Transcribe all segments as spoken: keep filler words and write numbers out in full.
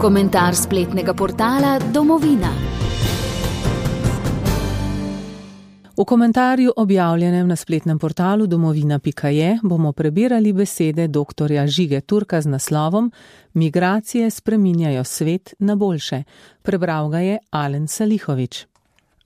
Komentar spletnega portala Domovina. V komentarju, objavljenem na spletnem portalu domovina pika je, bomo prebirali besede doktorja Žige Turka z naslovom Migracije spreminjajo svet na boljše. Prebral ga je Alen Salihović.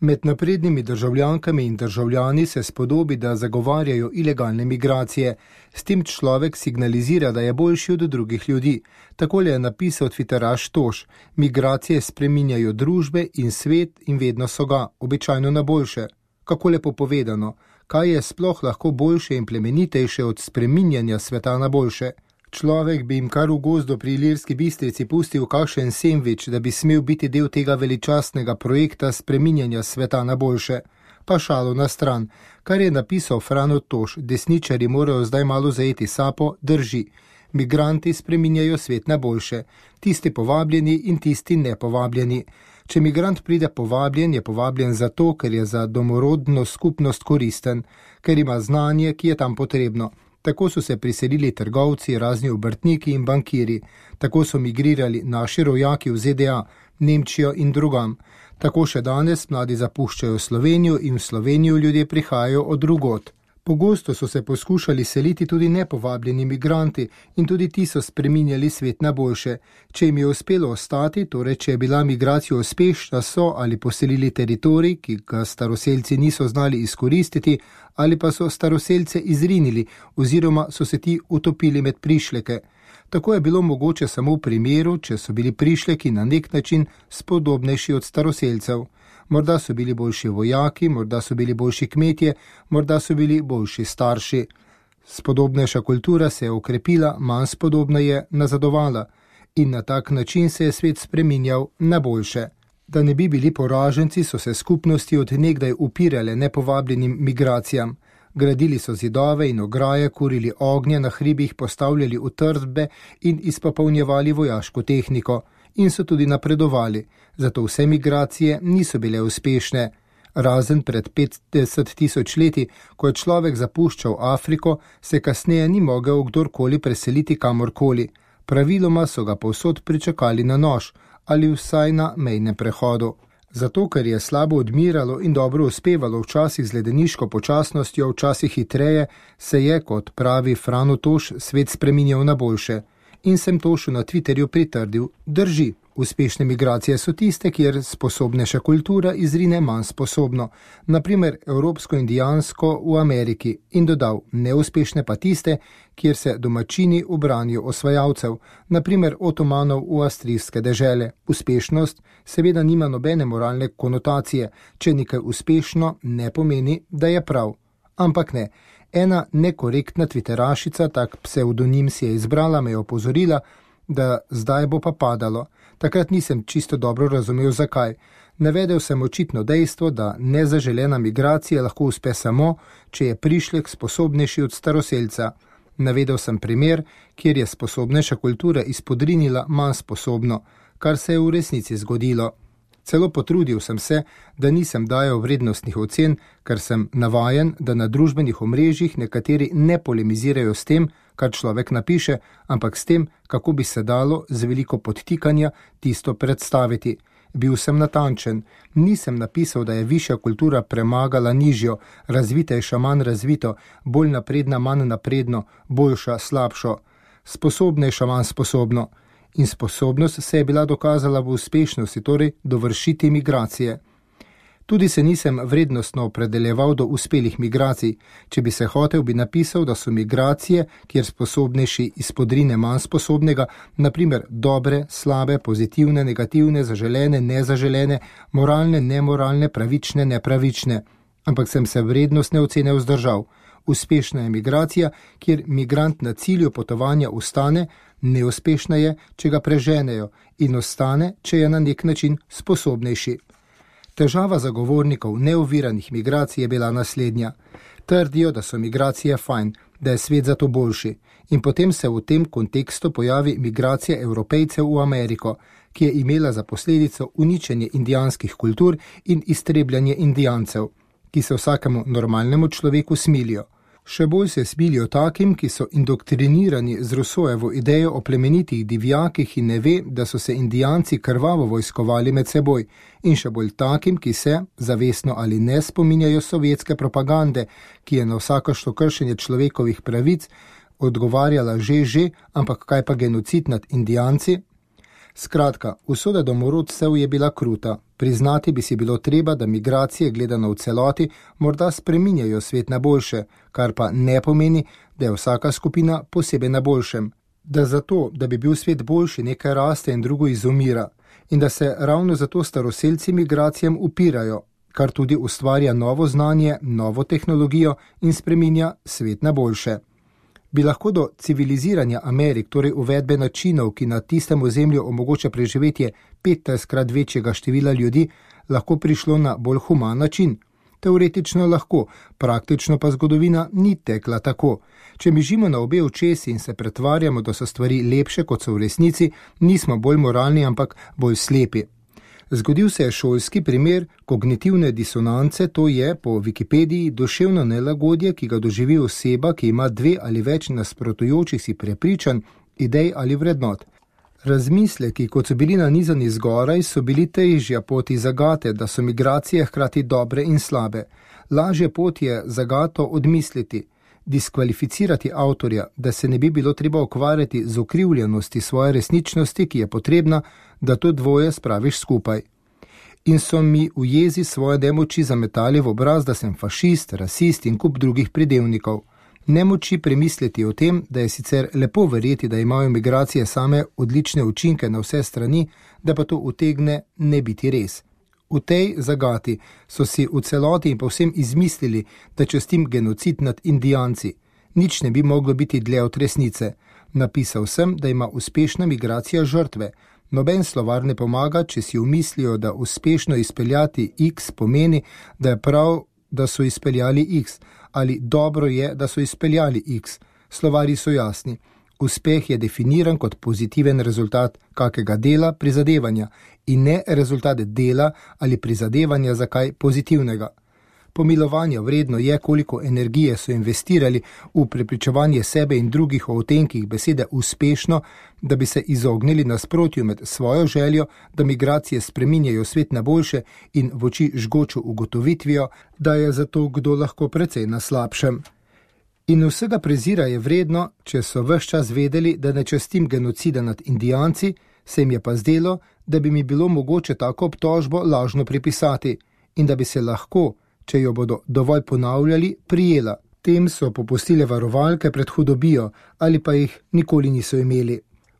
Med naprednimi državljankami in državljani se spodobi, da zagovarjajo ilegalne migracije. S tem človek signalizira, da je boljši od drugih ljudi. Takole je napisal Twitteraš Toš: migracije spreminjajo družbe in svet in vedno so ga, običajno na boljše. Kako lepo povedano, kaj je sploh lahko boljše in plemenitejše od spreminjanja sveta na boljše? Človek bi jim kar v gozdu pri Ilirski Bistrici pustil kakšen sendvič, da bi smel biti del tega veličastnega projekta spreminjanja sveta na boljše. Pa šalo na stran. Kar je napisal Frano Toš, desničari morajo zdaj malo zajeti sapo, drži. Migranti spreminjajo svet na boljše. Tisti povabljeni in tisti nepovabljeni. Če migrant pride povabljen, je povabljen zato, ker je za domorodno skupnost koristen, ker ima znanje, ki je tam potrebno. Tako so se priselili trgovci, razni obrtniki in bankiri. Tako so migrirali naši rojaki v Z D A, Nemčijo in drugam. Tako še danes mladi zapuščajo Slovenijo in v Slovenijo ljudje prihajajo od drugod. Pogosto so se poskušali seliti tudi nepovabljeni migranti in tudi ti so spreminjali svet na boljše. Če jim je uspelo ostati, torej če je bila migracija uspešna, so ali poselili teritorij, ki ga staroselci niso znali izkoristiti, ali pa so staroselce izrinili oziroma so se ti utopili med prišleke. Tako je bilo mogoče samo v primeru, če so bili prišleki na nek način spodobnejši od staroselcev. Morda so bili boljši vojaki, morda so bili boljši kmetje, morda so bili boljši starši. Spodobnejša kultura se je okrepila, manj spodobna je nazadovala in na tak način se je svet spreminjal na boljše. Da ne bi bili poraženci, so se skupnosti od nekdaj upirale nepovabljenim migracijam. Gradili so zidove in ograje, kurili ognje na hribih, postavljali utrdbe in izpopolnjevali vojaško tehniko. In so tudi napredovali, zato vse migracije niso bile uspešne. Razen pred petdeset tisoč leti, ko je človek zapuščal Afriko, se kasneje ni mogel kdorkoli preseliti kamorkoli. Praviloma so ga povsod pričakali na nož ali vsaj na mejnem prehodu. Zato, ker je slabo odmiralo in dobro uspevalo, včasih z ledeniško počasnostjo, včasih hitreje, se je, kot pravi Frano Toš, svet spreminjal na boljše. In sem Tošu na Twitterju pritrdil: drži, uspešne migracije so tiste, kjer sposobnejša kultura izrine manj sposobno, naprimer evropsko-indijansko v Ameriki, in dodal: neuspešne pa tiste, kjer se domačini ubranijo osvajalcev, naprimer otomanov v avstrijske dežele. Uspešnost seveda nima nobene moralne konotacije, če nekaj uspešno ne pomeni, da je prav. Ampak ne. Ena nekorektna twitterašica, tak psevdonim si je izbrala, me je opozorila, da zdaj bo pa padalo. Takrat nisem čisto dobro razumel, zakaj. Navedel sem očitno dejstvo, da nezaželena migracija lahko uspe samo, če je prišlek sposobnejši od staroselca. Navedel sem primer, kjer je sposobnejša kultura izpodrinila manj sposobno, kar se je v resnici zgodilo. Celo potrudil sem se, da nisem dajal vrednostnih ocen, ker sem navajen, da na družbenih omrežjih nekateri ne polemizirajo s tem, kar človek napiše, ampak s tem, kako bi se dalo z veliko podtikanja tisto predstaviti. Bil sem natančen. Nisem napisal, da je višja kultura premagala nižjo, razvitejša manj razvito, bolj napredna manj napredno, boljša slabšo, sposobnejša manj sposobno. In sposobnost se je bila dokazala v uspešnosti, torej dovršiti migracije. Tudi se nisem vrednostno opredeljeval do uspelih migracij. Če bi se hotel, bi napisal, da so migracije, kjer sposobnejši izpodrine manj sposobnega, naprimer dobre, slabe, pozitivne, negativne, zaželene, nezaželene, moralne, nemoralne, pravične, nepravične. Ampak sem se vrednostne ocene vzdržal. Uspešna je migracija, kjer migrant na cilju potovanja ustane, neuspešna je, če ga preženejo, in ostane, če je na nek način sposobnejši. Težava zagovornikov neoviranih migracij je bila naslednja. Trdijo, da so migracije fajn, da je svet zato boljši, in potem se v tem kontekstu pojavi migracija Evropejcev v Ameriko, ki je imela za posledico uničenje indijanskih kultur in iztrebljanje indijancev, ki se vsakemu normalnemu človeku smilijo. Še bolj se smilijo takim, ki so indoktrinirani z Rousseaujevo idejo o plemenitih divjakih in ne ve, da so se Indijanci krvavo vojskovali med seboj, in še bolj takim, ki se, zavestno ali ne, spominjajo sovjetske propagande, ki je na vsakošto kršenje človekovih pravic odgovarjala že že, ampak kaj pa genocid nad Indijanci? Skratka, usoda domorodcev je bila kruta. Priznati bi si bilo treba, da migracije gledano v celoti morda spreminjajo svet na boljše, kar pa ne pomeni, da je vsaka skupina posebej na boljšem. Da zato, da bi bil svet boljši, nekaj raste in drugo izumira. In da se ravno zato staroselci migracijam upirajo, kar tudi ustvarja novo znanje, novo tehnologijo in spreminja svet na boljše. Bi lahko do civiliziranja Amerik, torej uvedbe načinov, ki na tistem ozemlju omogoča preživetje petnajstkrat večjega števila ljudi, lahko prišlo na bolj human način? Teoretično lahko, praktično pa zgodovina ni tekla tako. Če mižimo na obe očesi in se pretvarjamo, da so stvari lepše, kot so v resnici, nismo bolj moralni, ampak bolj slepi. Zgodil se je šolski primer kognitivne disonance, to je po Wikipediji duševno nelagodje, ki ga doživi oseba, ki ima dve ali več nasprotujočih si prepričanj, idej ali vrednot. Razmisleki, kot so bili nanizani zgoraj, so bili težja poti zagate, da so migracije hkrati dobre in slabe. Lažje pot je zagato odmisliti, diskvalificirati avtorja, da se ne bi bilo treba ukvarjati z ukrivljenosti svoje resničnosti, ki je potrebna, da to dvoje spraviš skupaj. In so mi v jezi svoje nemoči zametali v obraz, da sem fašist, rasist in kup drugih pridevnikov. Nemoči premisliti o tem, da je sicer lepo verjeti, da imajo migracije same odlične učinke na vse strani, da pa to utegne ne biti res. V tej zagati so si v celoti in povsem izmislili, da častim genocid nad Indijanci. Nič ne bi moglo biti dlje od resnice. Napisal sem, da ima uspešna migracija žrtve. Noben slovar ne pomaga, če si umislijo, da uspešno izpeljati X pomeni, da je prav, da so izpeljali X, ali dobro je, da so izpeljali X. Slovari so jasni. Uspeh je definiran kot pozitiven rezultat kakega dela, prizadevanja in ne rezultat dela ali prizadevanja za kaj pozitivnega. Pomilovanja vredno je, koliko energije so investirali v prepričevanje sebe in drugih o utenkih besede uspešno, da bi se izognili nasprotju med svojo željo, da migracije spreminjajo svet na boljše in v oči žgočo ugotovitvijo, da je zato kdo lahko precej na slabšem. In vsega prezira je vredno, če so ves čas vedeli, da ne častim genocida nad Indijanci, se jim je pa zdelo, da bi mi bilo mogoče tako obtožbo lažno pripisati in da bi se lahko, če jo bodo dovolj ponavljali, prijela. Tem so popustile varovalke pred hudobijo ali pa jih nikoli niso imeli.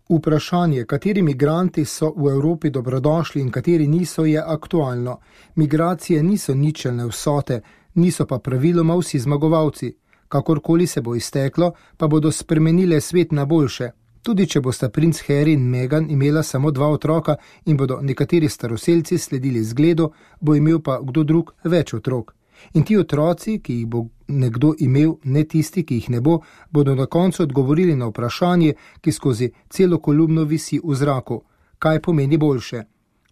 Vprašanje, kateri migranti so v Evropi dobrodošli in kateri niso, je aktualno. Migracije niso ničelne vsote, niso pa praviloma vsi zmagovalci. Kakorkoli se bo izteklo, pa bodo spremenile svet na boljše. Tudi če bosta princ Harry in Meghan imela samo dva otroka in bodo nekateri staroselci sledili zgledu, bo imel pa kdo drug več otrok. In ti otroci, ki jih bo nekdo imel, ne tisti, ki jih ne bo, bodo na koncu odgovorili na vprašanje, ki skozi celo kolumno visi v zraku. Kaj pomeni boljše?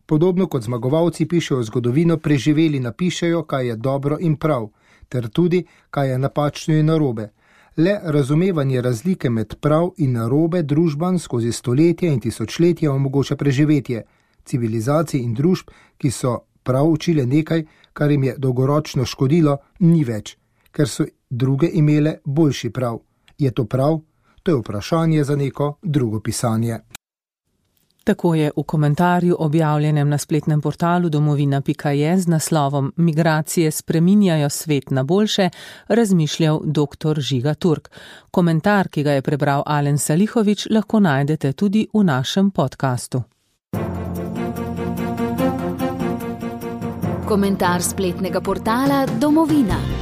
Podobno kot zmagovalci pišejo zgodovino, preživeli napišejo, kaj je dobro in prav, ter tudi, kaj je napačno in narobe. Le razumevanje razlike med prav in narobe družban skozi stoletja in tisočletja omogoča preživetje. Civilizacij in družb, ki so prav učile nekaj, kar jim je dolgoročno škodilo, ni več, ker so druge imele boljši prav. Je to prav? To je vprašanje za neko drugo pisanje. Tako je v komentarju objavljenem na spletnem portalu domovina pika je z naslovom Migracije spreminjajo svet na boljše razmišljal doktor Žiga Turk. Komentar, ki ga je prebral Alen Salihović, lahko najdete tudi v našem podkastu. Komentar spletnega portala Domovina.